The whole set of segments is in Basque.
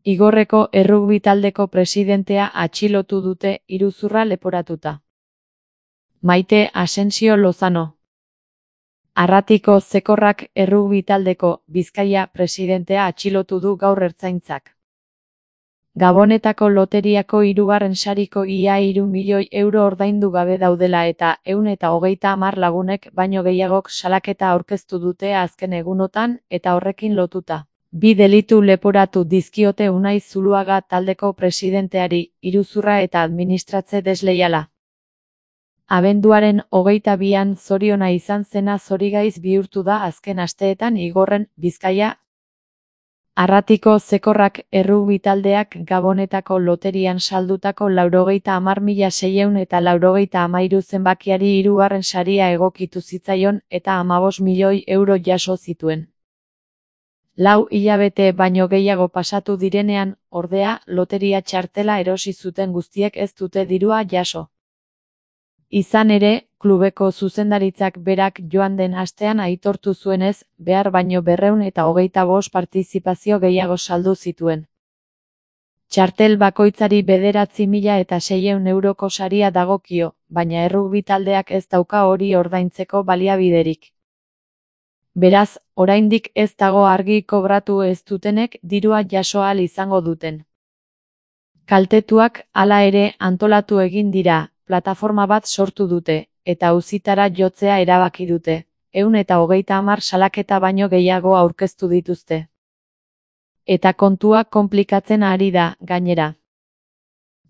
Igorreko errugbi taldeko presidentea atxilotu dute iruzurra leporatuta. Maite Asensio Lozano. Arratiko Zekorrak errugbi taldeko Bizkaia presidentea atxilotu du gaur Ertzaintzak. Gabonetako loteriako 3. sariko ia 3 milioi euro ordaindu gabe daudela eta 130 lagunek baino gehiagok salaketa aurkeztu dute azken egunotan eta horrekin lotuta. 2 delitu leporatu dizkiote Unai Zuluaga taldeko presidenteari, iruzurra eta administratze desleiala. Abenduaren 22an zoriona izan zena zorigaiz bihurtu da azken asteetan Igorren, Bizkaia. Arratiko Zekorrak errugbi taldeak Gabonetako loterian saldutako 90.693 zenbakiari 3. saria egokitu zitzaion eta 15 milioi euro jaso zituen. 4 hilabete baino gehiago pasatu direnean, ordea, loteria txartela erosi zuten guztiek ez dute dirua jaso. Izan ere, klubeko zuzendaritzak berak joan den astean aitortu zuenez, behar baino 225 partizipazio gehiago saldu zituen. Txartel bakoitzari 9.600 euroko saria dagokio, baina errugbi taldeak ez dauka hori ordaintzeko baliabiderik. Beraz, oraindik ez dago argi kobratu ez dutenek dirua jaso ahal izango duten. Kaltetuak, hala ere, antolatu egin dira, plataforma bat sortu dute, eta auzitara jotzea erabaki dute, 130 salaketa baino gehiago aurkeztu dituzte. Eta kontua konplikatzen ari da, gainera.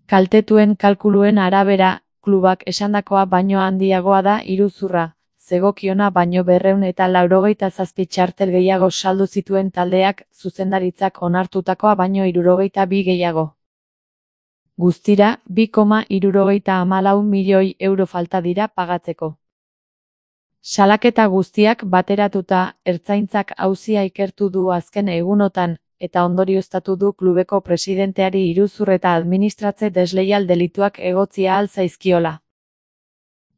Kaltetuen kalkuluen arabera, klubak esandakoa baino handiagoa da iruzurra, zegokiona baino 287 txartel gehiago saldu zituen taldeak, zuzendaritzak onartutakoa baino 62 gehiago. Guztira, 2,74 milioi euro falta dira pagatzeko. Salaketa guztiak bateratuta, Ertzaintzak auzia ikertu du azken egunotan, eta ondorioztatu du klubeko presidenteari iruzur eta administratze desleial delituak egotzia ahal zaizkiola.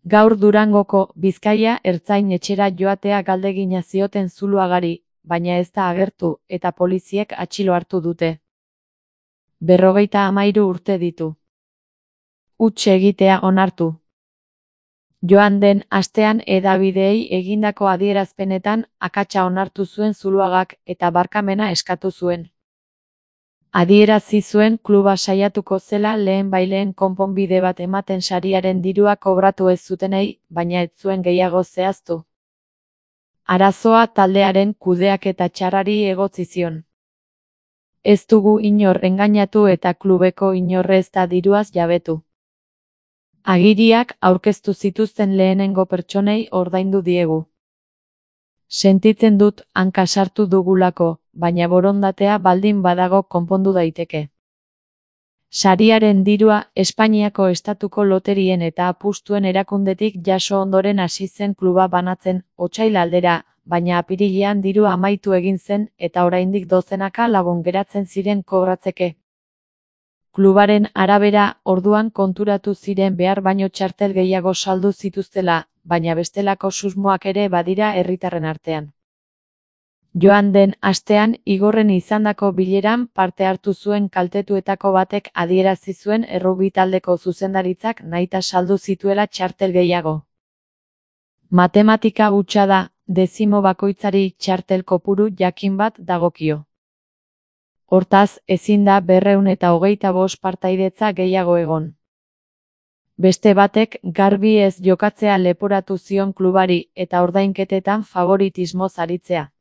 Gaur Durangoko, Bizkaia ertzain etxera joatea galdegina zioten Zuluagari, baina ez da agertu, eta poliziek atxilo hartu dute. 53 urte ditu. Huts egitea onartu. Joan den astean hedabideei egindako adierazpenetan akatsa onartu zuen Zuluagak eta barkamena eskatu zuen. Adierazi zuen kluba saiatuko zela lehenbailehen konponbide bat ematen sariaren dirua kobratu ez zutenei, baina ez zuen gehiago zehaztu. Arazoa taldearen kudeaketa txarrari egotzi zion. Ez dugu inor engainatu eta klubeko inorre ez da diruaz jabetu. Agiriak aurkeztu zituzten lehenengo pertsonei ordaindu diegu. Sentitzen dut hanka sartu dugulako, baina borondatea baldin badago konpondu daiteke. Sariaren dirua Espainiako estatuko loterien eta apustuen erakundetik jaso ondoren hasi zen kluba banatzen, otsail aldera, baina apirilean dirua amaitu egin zen eta oraindik dozenaka lagun geratzen ziren kobratzeke. Klubaren arabera, orduan konturatu ziren behar baino txartel gehiago saldu zituztela, baina bestelako susmoak ere badira herritarren artean. Joan den astean Igorren izandako bileran parte hartu zuen kaltetuetako batek adierazi zuen errugbi taldeko zuzendaritzak nahita saldu zituela txartel gehiago. Matematika hutsa da, dezimo bakoitzari txartel kopuru jakin bat dagokio. Hortaz, ezin da 225 partaidetza gehiago egon. Beste batek garbi ez jokatzea leporatu zion klubari eta ordainketetan favoritismoz aritzea.